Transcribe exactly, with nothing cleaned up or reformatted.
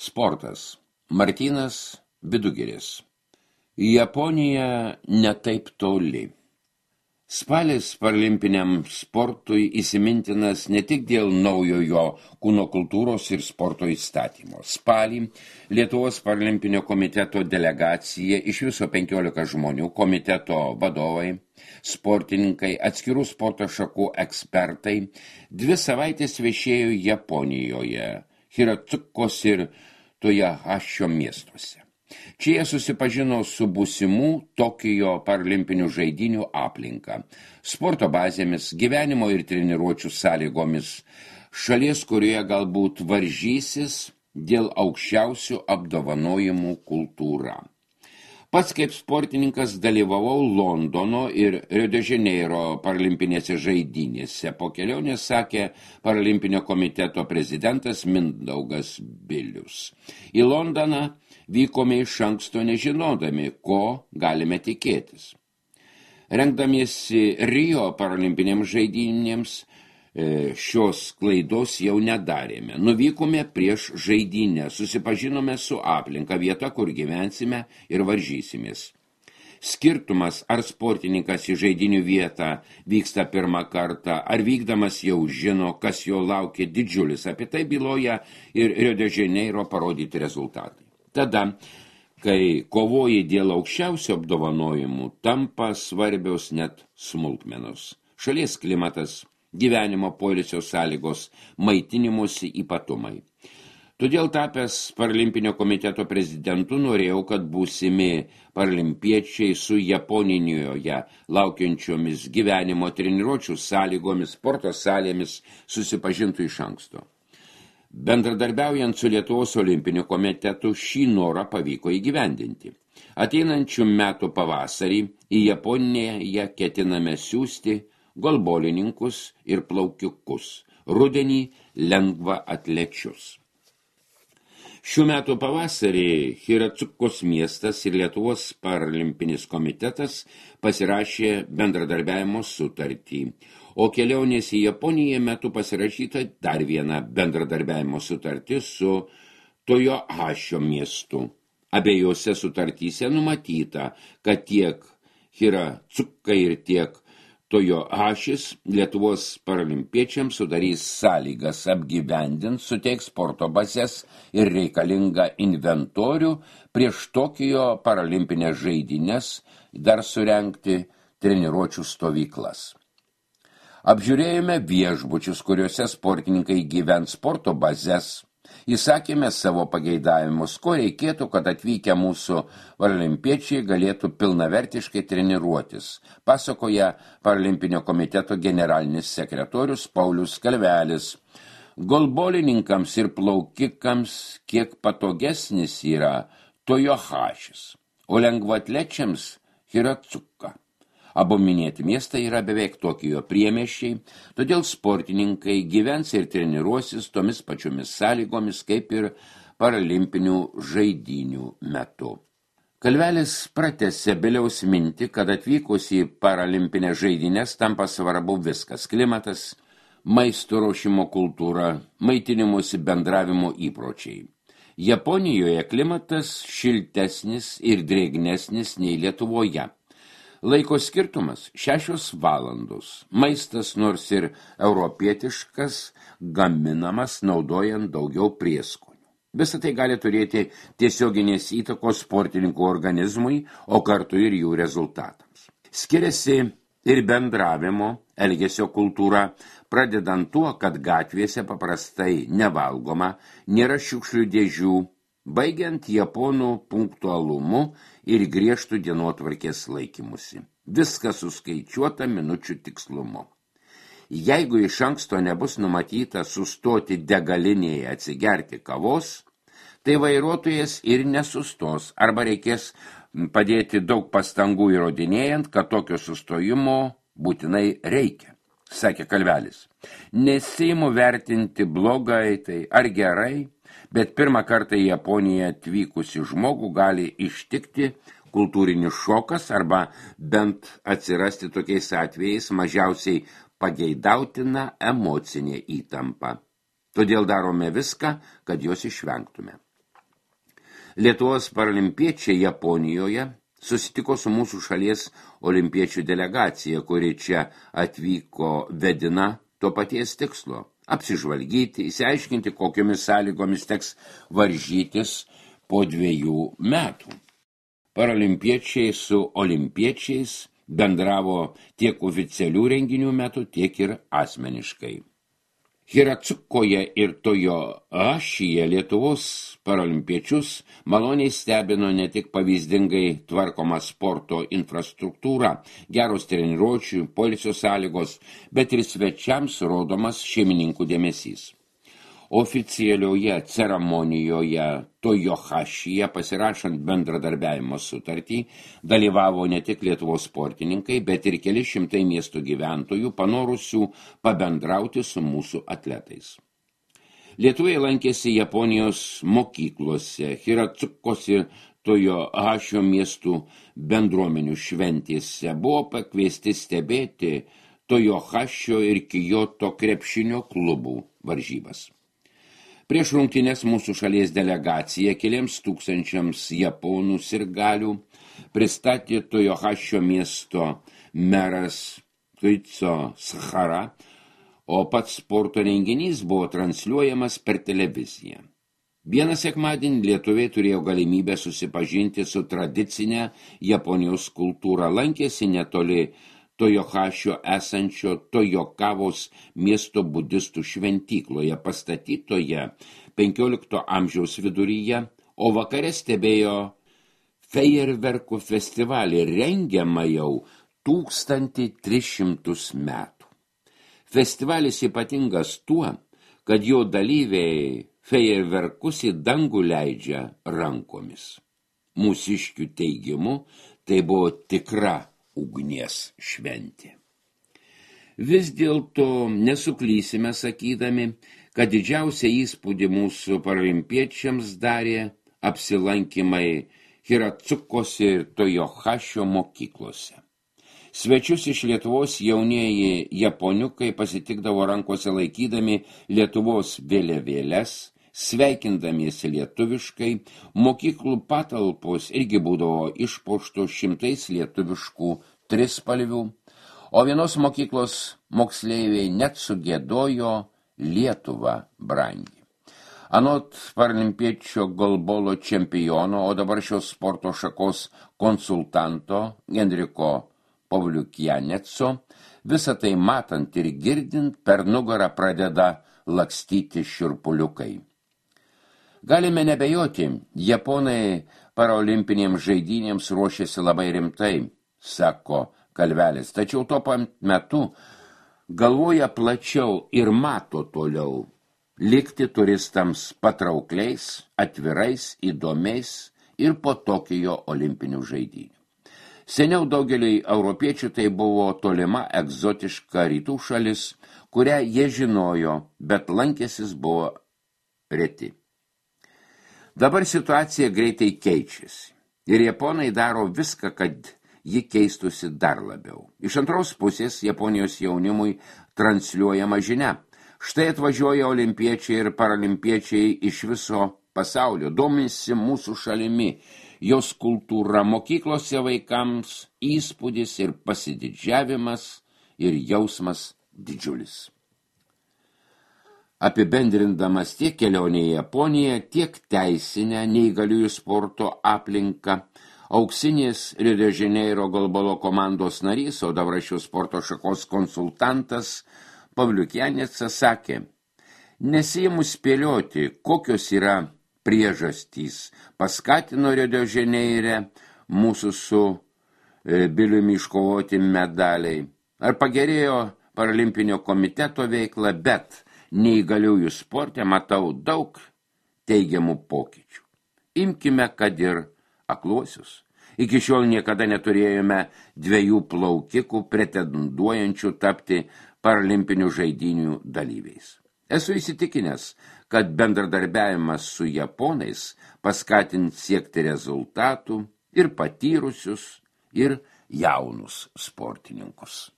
Sportas. Martynas Vidugiris. Japonija netaip toli. Spalis paralimpiniam sportui įsimintinas ne tik dėl naujojo kūno kultūros ir sporto įstatymo. Spalį Lietuvos paralimpinio komiteto delegacija iš viso penkiolika žmonių, komiteto vadovai, sportininkai, atskirų sporto šakų ekspertai, dvi savaitės viešėjo Japonijoje, Hiratsukos ir Toyohašio miestuose. Čia jie susipažino su būsimų Tokijo paralimpinių žaidynių aplinka, sporto bazėmis, gyvenimo ir treniruočių sąlygomis, šalies, kurioje galbūt varžysis dėl aukščiausių apdovanojimų kultūra. Pats kaip sportininkas dalyvavau Londono ir Rio de Janeiro paralimpinėse žaidynėse. Po kelionės sakė paralimpinio komiteto prezidentas Mindaugas Bilius. Į Londoną vykome iš anksto nežinodami, ko galime tikėtis. Rengdamiesi Rio paralimpinėms žaidynėms, šios klaidos jau nedarėme. Nuvykome prieš žaidynę, susipažinome su aplinka, vieta, kur gyvensime ir varžysimės. Skirtumas, ar sportininkas į žaidynių vietą vyksta pirmą kartą, ar vykdamas jau žino, kas jo laukia, didžiulis. Apie tai byloja ir Rio de Janeiro parodyti rezultatai. Tada, kai kovoji dėl aukščiausių apdovanojimų, tampa svarbios net smulkmenos. Šalies klimatas, gyvenimo poilsio sąlygos, maitinimosi ypatumai. Todėl tapęs paralimpinio komiteto prezidentu norėjau, kad būsimi paralimpiečiai su Japonijoje laukiančiomis gyvenimo treniruočių sąlygomis, sporto salėmis susipažintų iš anksto. Bendradarbiaujant su Lietuvos olimpiniu komitetu šį norą pavyko įgyvendinti. Ateinančių metų pavasarį į Japoniją ketiname siųsti golbolininkus ir plaukiukus, rudenį lengva atlečius. Šių metų pavasarį Hiratsukos miestas ir Lietuvos paralimpinis komitetas pasirašė bendradarbiavimo sutartį, o kelionės į Japoniją metu pasirašyta dar viena bendradarbiavimo sutartis su Toyohašio miestu. Abiejose sutartyse numatyta, kad tiek Hiratsukai ir tiek Toyohašis Lietuvos paralimpiečiams sudarys sąlygas apgyvendint, suteiks sporto bazes ir reikalingą inventorių prieš Tokijo paralimpinės žaidynes dar surengti treniruočių stovyklas. Apžiūrėjome viešbučius, kuriuose sportininkai gyvens, sporto bazes. Įsakėme savo pageidavimus, ko reikėtų, kad atvykę mūsų paralimpiečiai galėtų pilnavertiškai treniruotis, pasakoja paralimpinio komiteto generalinis sekretorius Paulius Kalvelis. Golbolininkams ir plaukikams kiek patogesnis yra Toyohašis, o lengvaatlečiams Hiratsuka. Abu minėti miestai yra beveik Tokijo priemiesčiai, todėl sportininkai gyvens ir treniruosis tomis pačiomis sąlygomis kaip ir paralimpinių žaidynių metu. Kalvelis pratęsė Biliaus mintį, kad atvykus į paralimpinės žaidynės tampa svarbu viskas – klimatas, maisto ruošimo kultūra, maitinimosi bendravimo įpročiai. Japonijoje klimatas šiltesnis ir drėgnesnis nei Lietuvoje. Laiko skirtumas šešios valandos. Maistas nors ir europietiškas, gaminamas naudojant daugiau prieskonių. Visą tai gali turėti tiesioginės įtakos sportininkų organizmui, o kartu ir jų rezultatams. Skiriasi ir bendravimo, elgesio kultūra, pradedant tuo, kad gatvėse paprastai nevalgoma, nėra šiukšlių dėžių, baigiant japonų punktualumu ir griežtų dienotvarkės laikymusi. Viskas suskaičiuota minučių tikslumu. Jeigu iš anksto nebus numatyta sustoti degalinėje atsigerti kavos, tai vairuotojas ir nesustos, arba reikės padėti daug pastangų įrodinėjant, kad tokio sustojimo būtinai reikia, sakė Kalvelis. Nesiimu vertinti blogai tai ar gerai, bet pirmą kartą į Japoniją atvykusi žmogų gali ištikti kultūrinis šokas arba bent atsirasti tokiais atvejais mažiausiai pageidautina emocinė įtampa. Todėl darome viską, kad jos išvengtume. Lietuvos paralimpiečiai Japonijoje susitiko su mūsų šalies olimpiečių delegacija, kuri čia atvyko vedina to paties tikslo – apsižvalgyti, įsiaiškinti, kokiomis sąlygomis teks varžytis po dviejų metų. Paralimpiečiai su olimpiečiais bendravo tiek oficialių renginių metu, tiek ir asmeniškai. Hiratsukoje ir Tojohašyje Lietuvos paralimpiečius maloniai stebino ne tik pavyzdingai tvarkoma sporto infrastruktūra, geros treniruočių, poilsio sąlygos, bet ir svečiams rodomas šeimininkų dėmesys. Oficialioje ceremonijoje Tojohašyje pasirašant bendradarbiavimo sutartį dalyvavo ne tik Lietuvos sportininkai, bet ir keli šimtai miestų gyventojų panorusių pabendrauti su mūsų atletais. Lietuviai lankėsi Japonijos mokyklose, Hiratsukos ir Tojohašio miestų bendruomenių šventėse, buvo pakviesti stebėti Tojohašio ir Kyoto krepšinio klubų varžybas. Prieš rungtynes mūsų šalies delegacija keliems tūkstančiams japonų sirgalių pristatė Tojohašio miesto meras Koicho Sahara, o pats sporto renginys buvo transliuojamas per televiziją. Vieną sekmadienį lietuviai turėjo galimybę susipažinti su tradicinė Japonijos kultūra, lankėsi netoli Tojohašio esančio Tojokavos miesto budistų šventykloje pastatytoje penkiolikto amžiaus viduryje, o vakare stebėjo fejerverkų festivalį rengiamą jau tūkstantį tris šimtus metų. Festivalis ypatingas tuo, kad jo dalyviai fejerverkus į dangų leidžia rankomis. Mūsiškių teigimu, tai buvo tikra ugnies šventė. Vis dėlto nesuklysime sakydami, kad didžiausią įspūdį mūsų paralimpiečiams darė apsilankymai Hiratsukos ir Tojohašio mokyklose. Svečius iš Lietuvos jaunieji japoniukai pasitikdavo rankose laikydami Lietuvos vėliavėles, sveikindamiesi lietuviškai, mokyklų patalpos irgi būdavo išpuoštos šimtais lietuviškų trispalvių, o vienos mokyklos moksleiviai net sugiedojo Lietuvą brangi. Anot paralimpiečio golbolo čempiono, o dabar šios sporto šakos konsultanto Henriko Pavliukianeco, visą tai matant ir girdint, per nugarą pradeda lakstyti šiurpuliukai. Galime nebejoti, japonai paraolimpinėms žaidynėms ruošiasi labai rimtai, sako Kalvelis, tačiau tuo pat metu galvoja plačiau ir mato toliau, likti turistams patraukliais, atvirais, įdomiais ir po Tokijo olimpinių žaidynių. Seniau daugeliui europiečių tai buvo tolima egzotiška rytų šalis, kurią jie žinojo, bet lankęsis buvo reti. Dabar situacija greitai keičiasi ir japonai daro viską, kad ji keistusi dar labiau. Iš antros pusės Japonijos jaunimui transliuojama žinia. Štai atvažiuoja olimpiečiai ir paralimpiečiai iš viso pasaulio, domisi mūsų šalimi, jos kultūra, mokyklose vaikams įspūdis ir pasididžiavimas ir jausmas didžiulis. Apibendrindamas tiek kelionę į Japoniją, tiek teisinę neįgaliųjų sporto aplinką, auksinės Rio de Janeiro golbolo komandos narys, o dabar šios sporto šakos konsultantas Pavliukianecas sakė, nesiimu spėlioti, kokios yra priežastys paskatino Rio de Janeire mūsų su e, Biliumi iškovoti medaliai, ar pagerėjo paralimpinio komiteto veikla, bet neįgaliųjų sporte matau daug teigiamų pokyčių. Imkime, kad ir akluosius. Iki šiol niekada neturėjome dviejų plaukikų pretenduojančių tapti paralimpinių žaidynių dalyviais. Esu įsitikinęs, kad bendradarbiavimas su japonais paskatins siekti rezultatų ir patyrusius, ir jaunus sportininkus.